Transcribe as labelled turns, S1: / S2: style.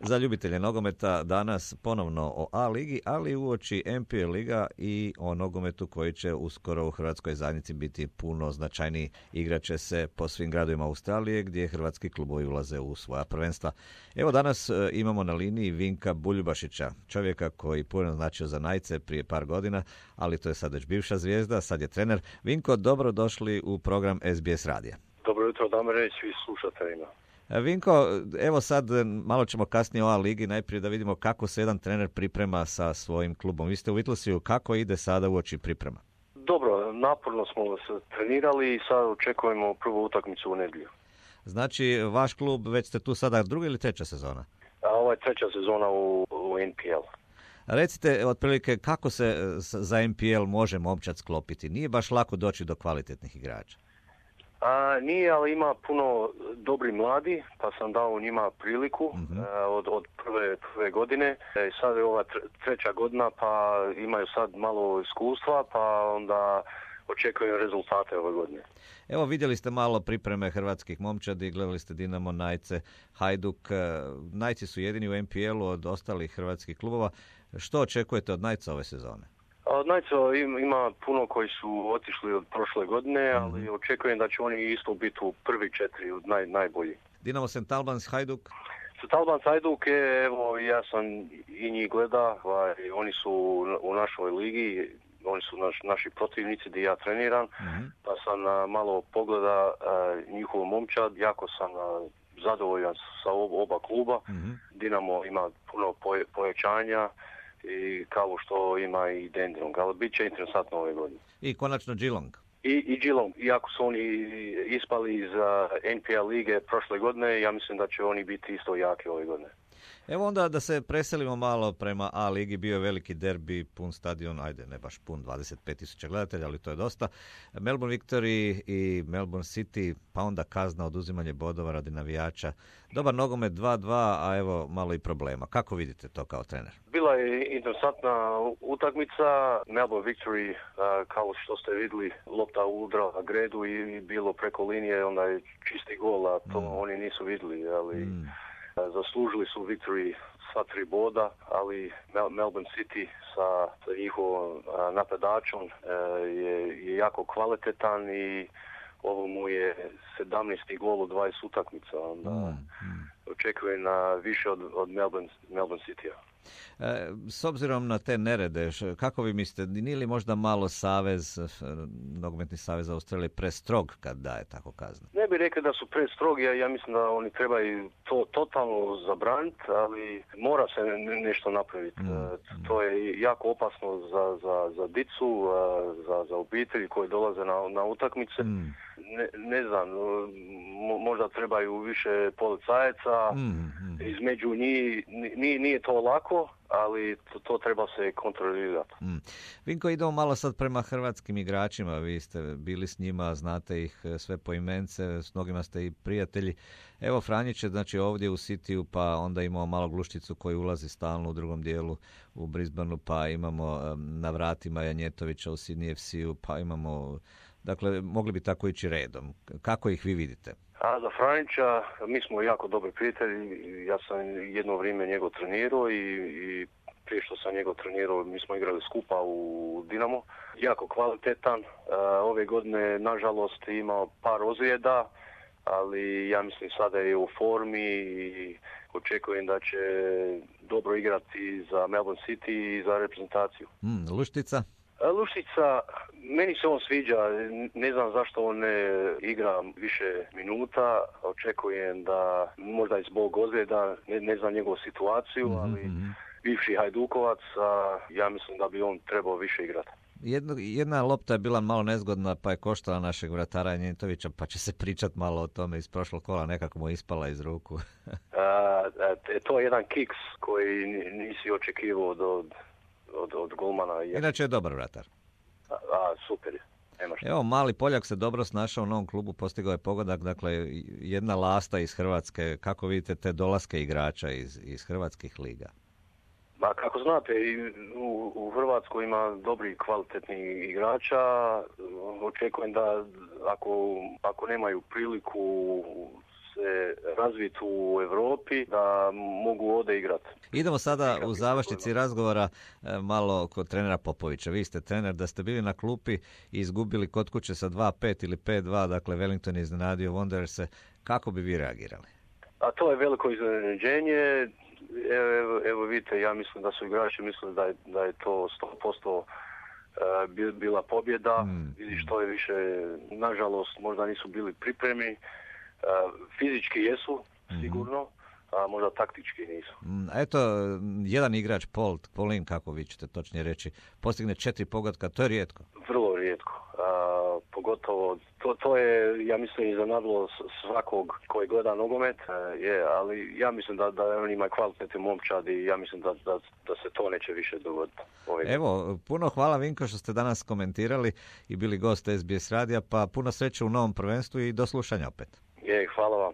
S1: za ljubitelje nogometa danas ponovno o A ligi, ali uoči NPL liga i o nogometu koji će uskoro u hrvatskoj zajednici biti puno značajniji. Igraće se po svim gradovima Australije gdje hrvatski klubovi ulaze u svoja prvenstva. Evo danas imamo na liniji Vinka Buljubašića, čovjeka koji puno značio za Najce prije par godina, ali to je sad već bivša zvijezda, sad je trener. Vinko, dobro došli u program SBS radija.
S2: Dobro jutro, Damire, i svi slušateljima.
S1: Vinko, evo sad malo ćemo kasnije o A ligi, najprije da vidimo kako se jedan trener priprema sa svojim klubom. Vi ste u Whittleseu, kako ide sada uoči priprema?
S2: Dobro, naporno smo se trenirali i sad očekujemo prvu utakmicu u nedjelju.
S1: Znači, vaš klub, već ste tu sada druga ili treća sezona?
S2: Ovo je treća sezona u NPL.
S1: Recite, otprilike, kako se za NPL može momčad sklopiti? Nije baš lako doći do kvalitetnih igrača.
S2: Nije, ali ima puno dobri mladi, pa sam dao njima priliku od prve godine. Sad je ova treća godina, pa imaju sad malo iskustva, pa onda očekujem rezultate ove godine.
S1: Evo, vidjeli ste malo pripreme hrvatskih momčadi, gledali ste Dinamo, Najce, Hajduk. Najci su jedini u NPL-u od ostalih hrvatskih klubova. Što očekujete od Najca ove sezone?
S2: Od Najca ima puno koji su otišli od prošle godine, ali očekujem da će oni isto biti u prvi 4 od najbolji.
S1: Dinamo St. Albans, Hajduk?
S2: St. Albans, Hajduk je, evo, ja sam i njih gleda, oni su u našoj ligi, oni su naši protivnici gdje ja treniram, pa sam malo pogleda njihovu momčad, jako sam zadovoljan sa oba kluba. Dinamo ima puno pojačanja, i kao što ima i Dandenong, ali bit će interesantno ove godine.
S1: I konačno Geelong.
S2: I Geelong, iako su oni ispali iz NPL lige prošle godine, ja mislim da će oni biti isto jaki ove godine.
S1: Evo onda da se preselimo malo prema A ligi, bio je veliki derbi, pun stadion, ajde ne baš pun, 25,000 gledatelja, ali to je dosta. Melbourne Victory i Melbourne City, pa onda kazna, oduzimanje bodova radi navijača. Dobar nogomet 2-2, a evo malo i problema. Kako vidite to kao trener?
S2: Bila je interesantna utakmica. Melbourne Victory, kao što ste vidjeli, lopta udrala gredu i bilo preko linije, onda je čisti gol, a to oni nisu vidjeli, ali zaslužili su Victory sva 3 boda, ali Melbourne City sa njihovom napadačom je jako kvalitetan i ovo mu je 17. gol u 20 utakmica. Onda očekujem više od Melbourne City-a.
S1: S obzirom na te nerede, kako vi mislite, nije li možda malo nogometni savez Australije prestrog kad daje tako kaznu?
S2: Ne bih rekao da su prestrogi, ja mislim da oni trebaju to totalno zabraniti, ali mora se nešto napraviti. To je jako opasno za dicu, za obitelji koji dolaze na utakmice. Ne znam, možda trebaju više policajaca, između njih, nije to lako, ali to treba se kontrolirati.
S1: Vinko, idemo malo sad prema hrvatskim igračima, vi ste bili s njima, znate ih sve po imence, s mnogima ste i prijatelji. Evo Franjić je znači ovdje u Cityu, pa onda imamo malo Glušticu koji ulazi stalno u drugom dijelu u Brisbaneu, pa imamo na vratima Janjetovića u Sydney FC-u, pa imamo, dakle, mogli bi tako ići redom. Kako ih vi vidite?
S2: A za Franjića, mi smo jako dobri prijatelji, ja sam jedno vrijeme njegov trenirao i prije što sam njegov trenirao, mi smo igrali skupa u Dinamo. Jako kvalitetan, ove godine nažalost imao par ozljeda, ali ja mislim sada je u formi i očekujem da će dobro igrati za Melbourne City i za reprezentaciju.
S1: Luštica?
S2: Luštica, meni se on sviđa, ne znam zašto on ne igra više minuta, očekujem da možda i zbog ozljeda, ne znam njegovu situaciju, ali bivši Hajdukovac, ja mislim da bi on trebao više igrati.
S1: Jedna lopta je bila malo nezgodna, pa je koštala našeg vratara Janjetovića, pa će se pričat malo o tome iz prošlog kola, nekako mu je ispala iz ruku.
S2: To je jedan kiks koji nisi očekivao od golmana.
S1: Inače je dobar vratar.
S2: Super je.
S1: Evo, mali Poljak se dobro snašao u novom klubu, postigao je pogodak, dakle jedna lasta iz Hrvatske. Kako vidite te dolaske igrača iz hrvatskih liga?
S2: Kako znate, u Hrvatskoj ima dobri kvalitetni igrača. Očekujem da ako nemaju priliku se razviti u Europi, da mogu ovdje igrati.
S1: Idemo sada u završnici razgovora malo kod trenera Popovića. Vi ste trener, da ste bili na klupi i izgubili kod kuće sa 2-5 ili 5-2, dakle Wellington je iznenadio Wandererse, kako bi vi reagirali?
S2: A to je veliko iznenađenje. Evo vidite, ja mislim da su igrači mislili da je to 100% bila pobjeda. Vidi što je više, nažalost, možda nisu bili pripremi. Fizički jesu, sigurno, a možda taktički nisu.
S1: Eto, jedan igrač, Paulin, kako vi ćete točnije reći, postigne 4 pogotka, to je rijetko.
S2: Vrlo rijetko. Pogotovo, to je, ja mislim, iznenadilo svakog koji gleda nogomet, ali ja mislim da on ima kvalitetni momčad i ja mislim da se to neće više dogoditi.
S1: Evo, puno hvala Vinko što ste danas komentirali i bili gost SBS radija, pa puno sreće u novom prvenstvu i do slušanja opet.
S2: Hvala vam.